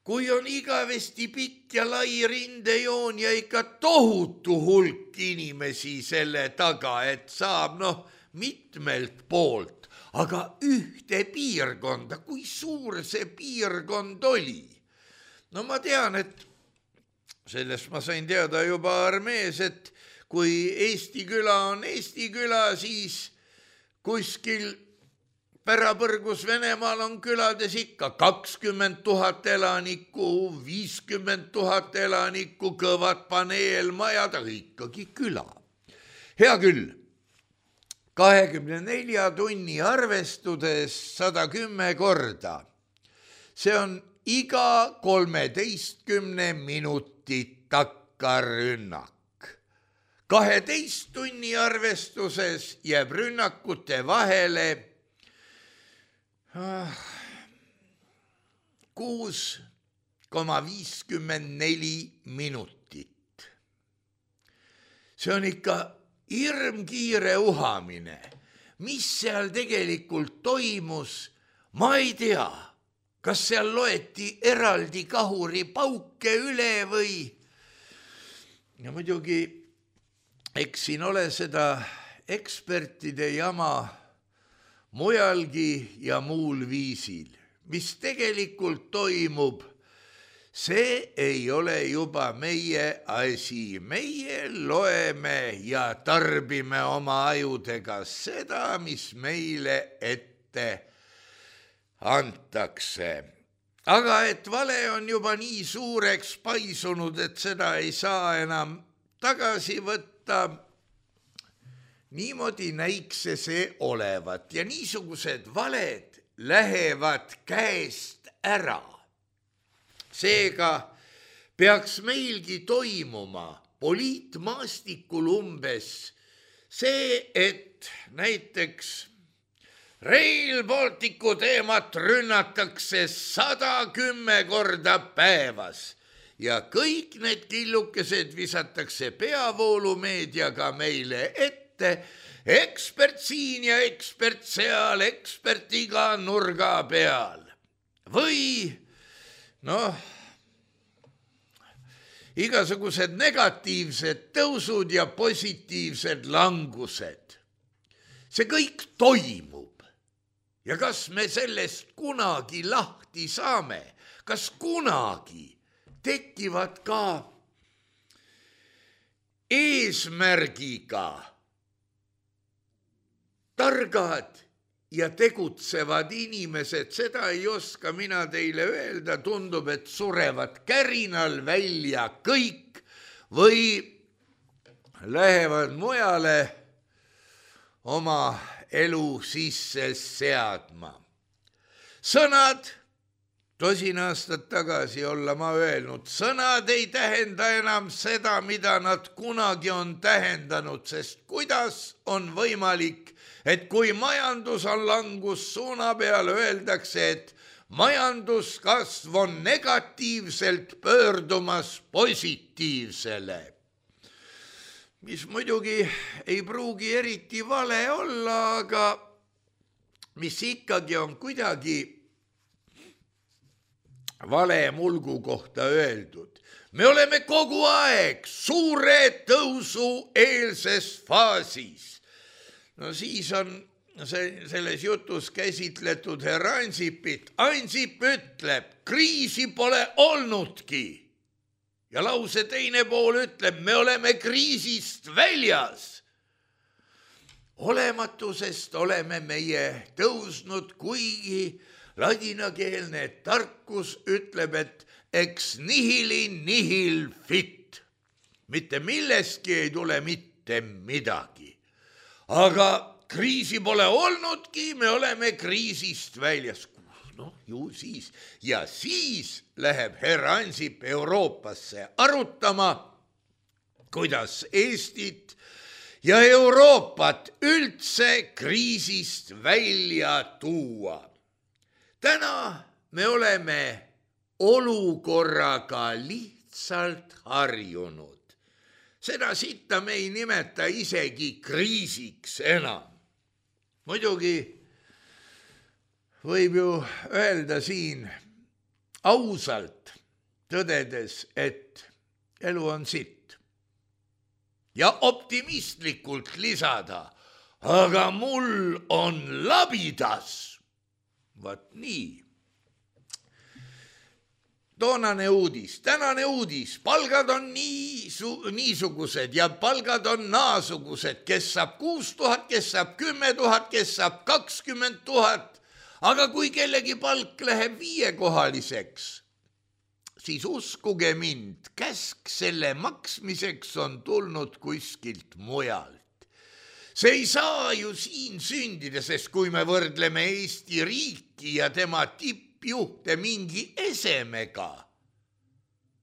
Kui on igavesti pikk ja lai rindejoon ja ikka tohutu hulk inimesi selle taga, et saab noh mitmelt poolt, aga ühte piirkonda, kui suur see piirkond oli. No ma tean, et sellest ma sain teada juba armees, et kui Eesti küla on Eesti küla, siis kuskil pärapõrgus Venemaal on külades ikka kakskümmend tuhat elanikku, viiskümmend tuhat elanikku, kõvad paneelmajad, aga ikkagi küla. Hea küll, kahekümne nelja tunni arvestudes sada kümme korda. See on iga kolmeteistkümne minutit takkarünnak. kaheteist tunni arvestuses jääb rünnakute vahele kuus koma viiskümmend neli minutit. See on ikka hirmkiire uhamine. Mis seal tegelikult toimus, ma ei tea. Kas seal loeti eraldi kahuri pauke üle või? Ja muidugi, eks siin ole seda ekspertide jama mujalgi ja muul viisil. Mis tegelikult toimub, see ei ole juba meie asi. Meie loeme ja tarbime oma ajudega seda, mis meile ette antakse. Aga et vale on juba nii suureks paisunud, et seda ei saa enam tagasi võtta, niimoodi näiks see olevat ja niisugused valed lähevad käest ära. Seega peaks meilgi toimuma poliitmaastikul umbes see, et näiteks Rail Balticu teemat rünnatakse sada kümme korda päevas ja kõik need killukesed visatakse peavoolumeediaga meile ette. Ekspert siin ja ekspert seal, ekspert iga nurga peal. Või, noh, igasugused negatiivsed tõusud ja positiivsed langused. See kõik toimub. Ja kas me sellest kunagi lahti saame? Kas kunagi tekivad ka eesmärgiga targad ja tegutsevad inimesed, seda ei oska mina teile öelda, tundub, et surevad kärinal välja kõik või lähevad mujale oma elu sisse seadma. Sõnad, tosin aastat tagasi olla ma öelnud, sõnad ei tähenda enam seda, mida nad kunagi on tähendanud, sest kuidas on võimalik, et kui majandus on langussuuna peal, öeldakse, et majanduskasv on negatiivselt pöördumas positiivsele. mis muidugi ei pruugi eriti vale olla, aga mis ikkagi on kuidagi vale mulgu kohta öeldud. Me oleme kogu aeg suure tõusu eelses faasis. No siis on see, selles jutus käsitletud härra Ansipit. Ansip ütleb, kriisi pole olnudki. Ja lause teine pool ütleb, me oleme kriisist väljas. Olematusest oleme meie tõusnud, kuigi ladinakeelne tarkus ütleb, et ex nihili nihil fit. Mitte millestki ei tule mitte midagi. Aga kriisi pole olnudki, me oleme kriisist väljas. Noh, ju siis. Ja siis läheb härra Ansip Euroopasse arutama, kuidas Eestit ja Euroopat üldse kriisist välja tuua. Täna me oleme olukorraga lihtsalt harjunud. Seda sitta me ei nimeta isegi kriisiks enam. Muidugi võib ju öelda siin ausalt tõdedes, et elu on sitt. Ja optimistlikult lisada, aga mul on labidas. Vaat nii. Toonane uudis, tänane uudis, palgad on niisu, niisugused ja palgad on naasugused, kes saab kuus tuhat, kes saab kümme tuhat, kes saab kakskümmend tuhat. Aga kui kellegi palk läheb viiekohaliseks, siis uskuge mind, käsk selle maksmiseks on tulnud kuskilt mujalt. See ei saa ju siin sündida, sest kui me võrdleme Eesti riiki ja tema tippjuhte mingi esemega,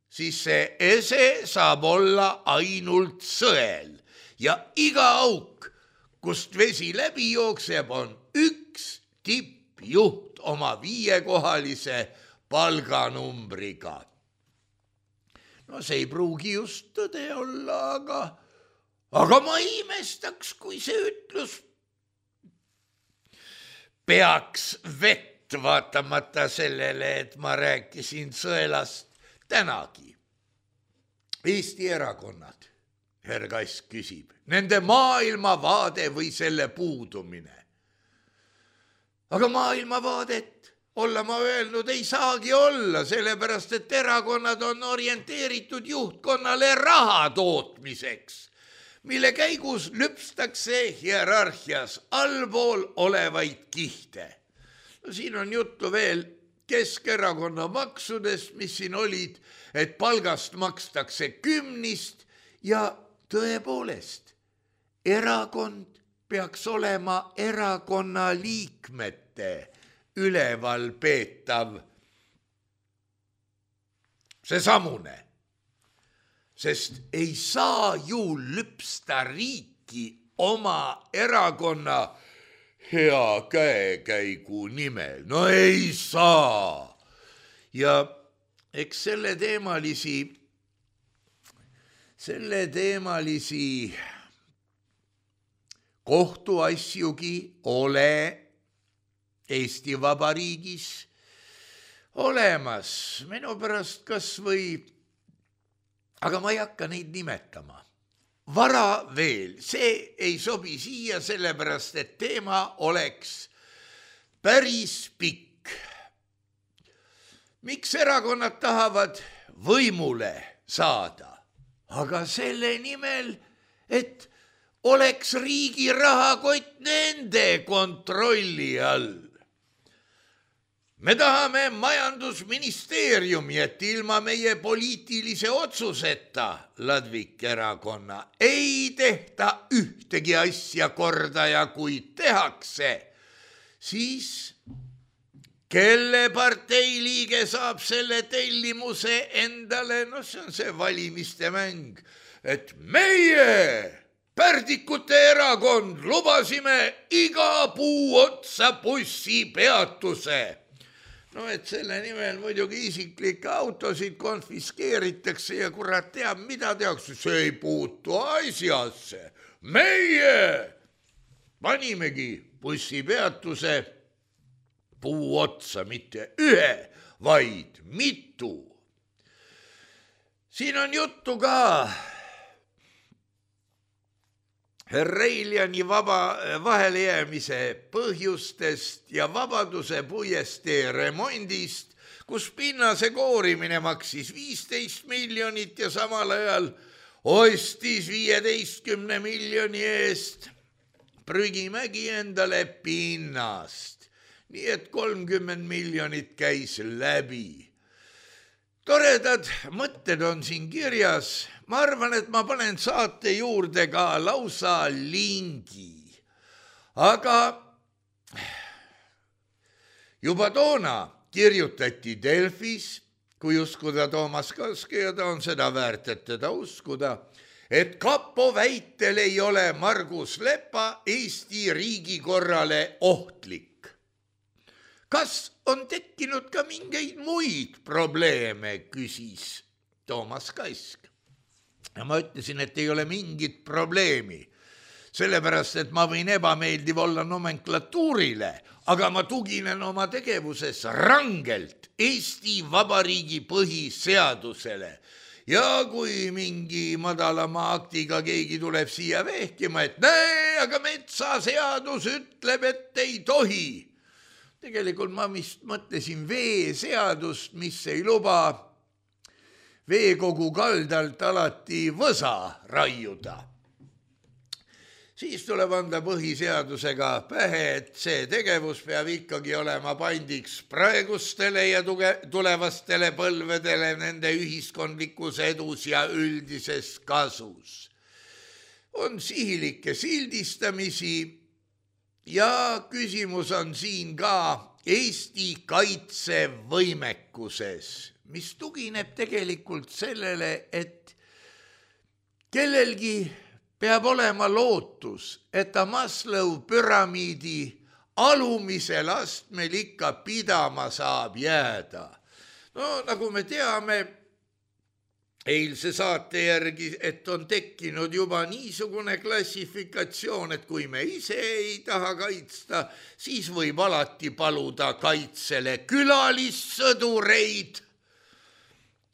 siis see ese saab olla ainult sõel ja iga auk, kust vesi läbi jookseb, on üks tippjuht oma viiekohalise palganumbriga. No see ei pruugi just tõde olla, aga Aga ma imestaks, kui see ütlus peaks vett vaatamata sellele, et ma rääkisin sõelast tänagi. Eesti erakonnad, härra Kass küsib, nende maailmavaade või selle puudumine. Aga maailmavaadet olla ma öelnud ei saagi olla, sellepärast et erakonnad on orienteeritud juhtkonnale raha tootmiseks, mille käigus lüpstakse hierarhias allpool olevaid kihte. No siin on juttu veel Keskerakonna maksudest, mis siin olid, et palgast makstakse kümnist ja tõepoolest, erakond peaks olema erakonna liikmete üleval peetav seesamune. Sest ei saa ju lüpsta riiki oma erakonna hea käekäigu nimel. No ei saa. Ja eks selle teemalisi, selle teemalisi kohtuasjugi ole Eesti Vabariigis olemas. Minu pärast kas või aga ma ei hakka neid nimetama. Vara veel, see ei sobi siia, sellepärast et teema oleks päris pikk. Miks erakonnad tahavad võimule saada? Aga selle nimel, et oleks riigi rahakott nende kontrolli all. Me tahame majandusministeeriumi, et ilma meie poliitilise otsuseta Ladvik erakonna ei tehta ühtegi asja korda ja kui tehakse, siis kelle partei liige saab selle tellimuse endale, no see on see valimiste mäng, et meie Pärdikute erakond lubasime iga puu otsa bussipeatuse. no et selle nimel muidugi isiklikke autosid konfiskeeritakse ja kurat teab, mida tehakse, see ei puutu asjasse. Meie panimegi bussipeatuse puu otsa, mitte ühe, vaid mitu. Siin on juttu ka Reiliani vaba vahelejäämise põhjustest ja Vabaduse puiestee remondist, kus pinnase koorimine maksis viisteist miljonit ja samal ajal ostis viieteistkümne miljoni eest Prügimägi endale pinnast. Nii et kolmkümmend miljonit käis läbi. Toredad mõtted on siin kirjas. Ma arvan, et ma panen saate juurde ka lausa lingi. Aga juba toona kirjutati Delfis, kui uskuda Toomas Kaske ja ta on seda väärt, et teda uskuda, et kapo väitel ei ole Margus Lepa Eesti riigikorrale ohtlik. Kas on tekkinud ka mingeid muid probleeme, küsis Toomas Kask. Ja ma ütlesin, et ei ole mingit probleemi, sellepärast, et ma võin ebameeldiv olla nomenklatuurile, aga ma tuginen oma tegevuses rangelt Eesti Vabariigi põhiseadusele. Ja kui mingi madalama aktiga keegi tuleb siia vehkima, et näe, aga metsaseadus ütleb, et ei tohi. Tegelikult ma vist mõtlesin veeseadust, mis ei luba veekogu kaldalt alati võsa raiuda. Siis tuleb anda põhiseadusega pähe, et see tegevus peab ikkagi olema pandiks praegustele ja tulevastele põlvedele nende ühiskondlikus edus ja üldises kasus. On sihilikke sildistamisi ja küsimus on siin ka Eesti kaitsevõimekuses, mis tugineb tegelikult sellele, et kellelgi peab olema lootus, et ta Maslow püramiidi alumisel astmel ikka pidama saab jääda. No nagu me teame eilse saate järgi, et on tekkinud juba niisugune klassifikatsioon, et kui me ise ei taha kaitsta, siis võib alati paluda kaitsele külalissõdureid.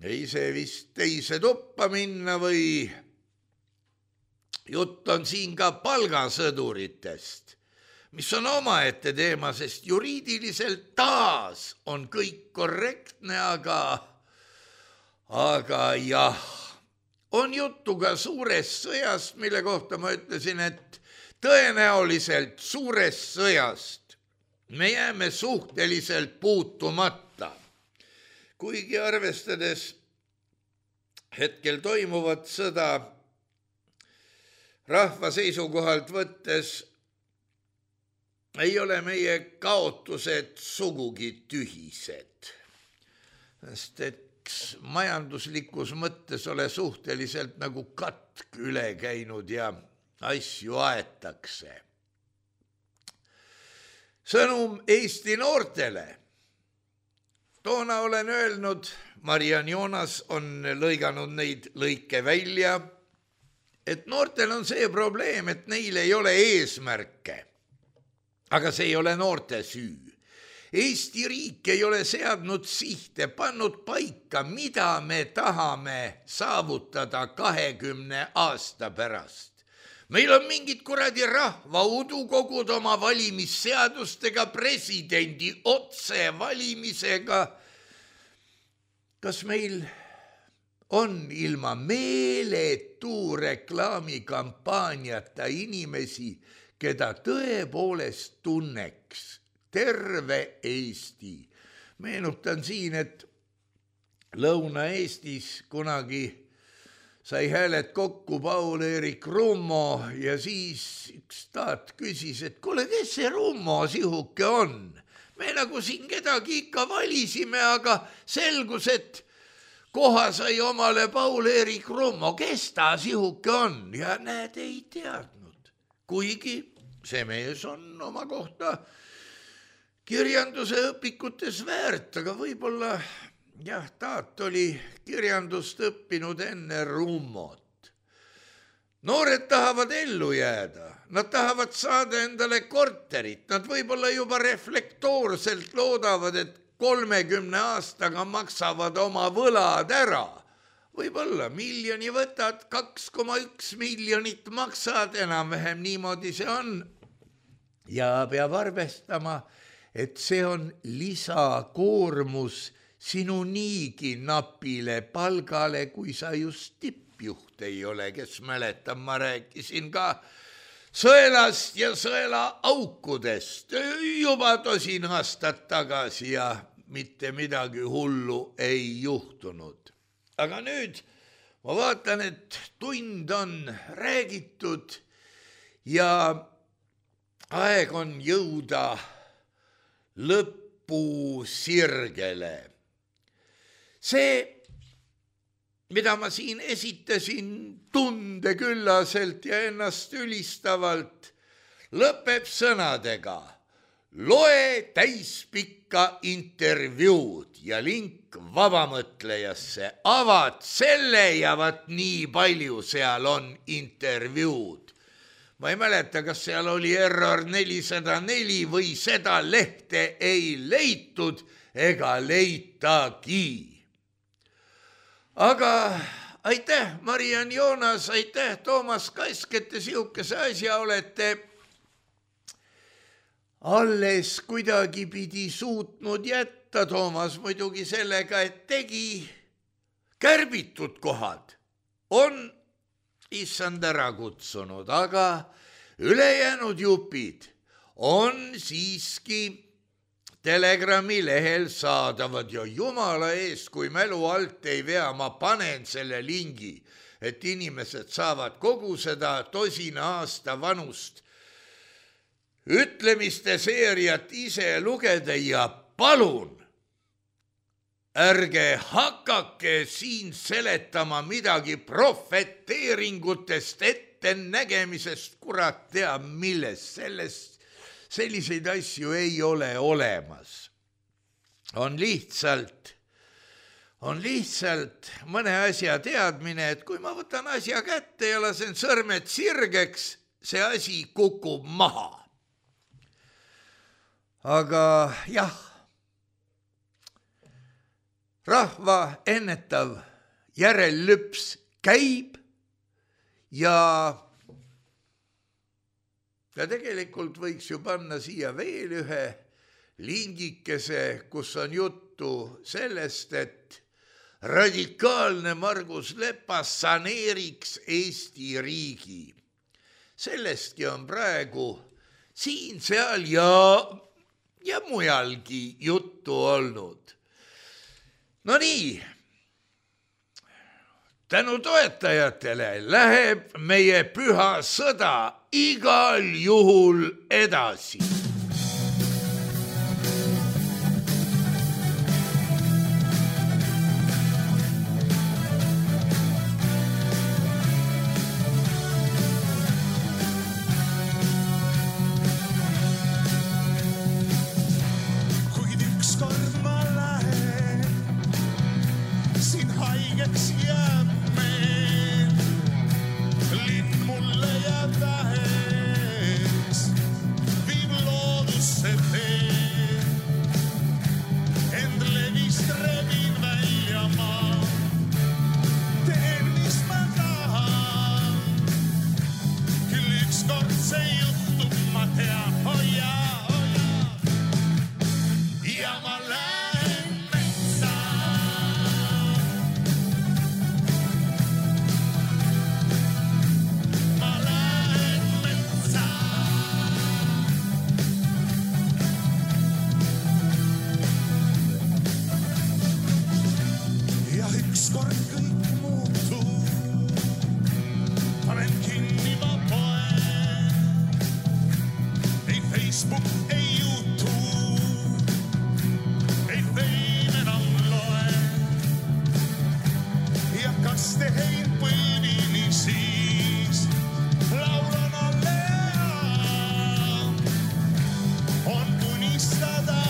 Ei see vist teise tuppa minna või jutt on siin ka palgasõduritest, mis on omaette teema, sest juriidiliselt taas on kõik korrektne, aga, aga jah, on juttu ka suurest sõjast, mille kohta ma ütlesin, et tõenäoliselt suurest sõjast me jääme suhteliselt puutumata, kuigi arvestades hetkel toimuvat sõda rahva seisukohalt võttes ei ole meie kaotused sugugi tühised, sest et majanduslikus mõttes ole suhteliselt nagu katk üle käinud ja asju aetakse. Sõnum Eesti noortele. Toona olen öelnud, Mariann Joonas on lõiganud neid lõike välja, et noortel on see probleem, et neil ei ole eesmärke, aga see ei ole noorte süü. Eesti riik ei ole seadnud sihte, pannud paika, mida me tahame saavutada kahekümne aasta pärast. Meil on mingid kuradi rahvaudukogud oma valimisseadustega, presidendi otsevalimisega. Kas meil on ilma meeletu reklaamikampaaniata inimesi, keda tõepoolest tunneks terve Eesti? Meenutan siin, et Lõuna-Eestis kunagi sai hääled kokku Paul-Eerik Rummo ja siis üks taat küsis, et kuule, kes see Rummo sihuke on? Me nagu siin kedagi ikka valisime, aga selgus, et koha sai omale Paul-Eerik Rummo, kes ta sihuke on? Ja näed, ei teadnud. Kuigi see mees on oma kohta kirjanduse õpikutes väärt, aga võib-olla jah, taat oli kirjandust õppinud enne rummot. Noored tahavad ellu jääda, nad tahavad saada endale korterit, nad võib-olla juba reflektoorselt loodavad, et kolmekümne aastaga maksavad oma võlad ära. Võib-olla miljoni võtad, kaks koma üks miljonit maksad, enam-vähem niimoodi see on. Ja peab arvestama, et see on lisakoormus sinu niigi napile palgale, kui sa just tippjuht ei ole, kes mäletab, ma rääkisin ka sõelast ja sõela aukudest juba tosin aastat tagasi ja mitte midagi hullu ei juhtunud. Aga nüüd ma vaatan, et tund on räägitud ja aeg on jõuda lõpu sirgele. See, mida ma siin esitasin tundeküllaselt ja ennast ülistavalt, lõpeb sõnadega: loe täispikka intervjuud ja link vabamõtlejasse, avad selle ja vat nii palju seal on intervjuud. Ma ei mäleta, kas seal oli error nelisada neli või seda lehte ei leitud ega leitagi. Aga aitäh, Mariann Joonas, aitäh, Toomas Kask, et te sihukese asja olete alles kuidagi pidi suutnud jätta. Toomas muidugi sellega, et tegi kärbitud kohad, on issand ära kutsunud, aga ülejäänud jupid on siiski Telegrami lehel saadavad ja jumala eest, kui mälu alt ei vea, ma panen selle lingi, et inimesed saavad kogu seda tosina aasta vanust ütlemiste seeriat ise lugeda ja palun, ärge hakake siin seletama midagi profeteeringutest, ettenägemisest, kurat teab millest, sellest selliseid asju ei ole olemas. On lihtsalt, on lihtsalt mõne asja teadmine, et kui ma võtan asja kätte ja lasen sõrmed sirgeks, see asi kukub maha. Aga jah, rahva ennetav järellüps käib ja Ja tegelikult võiks ju panna siia veel ühe lingikese, kus on juttu sellest, et radikaalne Margus Lepas saneeriks Eesti riigi. Sellestki on praegu siin, seal ja, ja mujalgi juttu olnud. No nii, tänu toetajatele läheb meie püha sõda igal juhul edasi. Kuid ükskord ma lähen, siin haigeks jääb meil, linn mulle jääb vähe. On unistada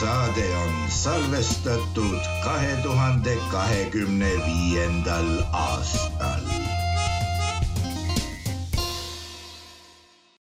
Saade on salvestatud kahe tuhande kahekümne viiendal aastal.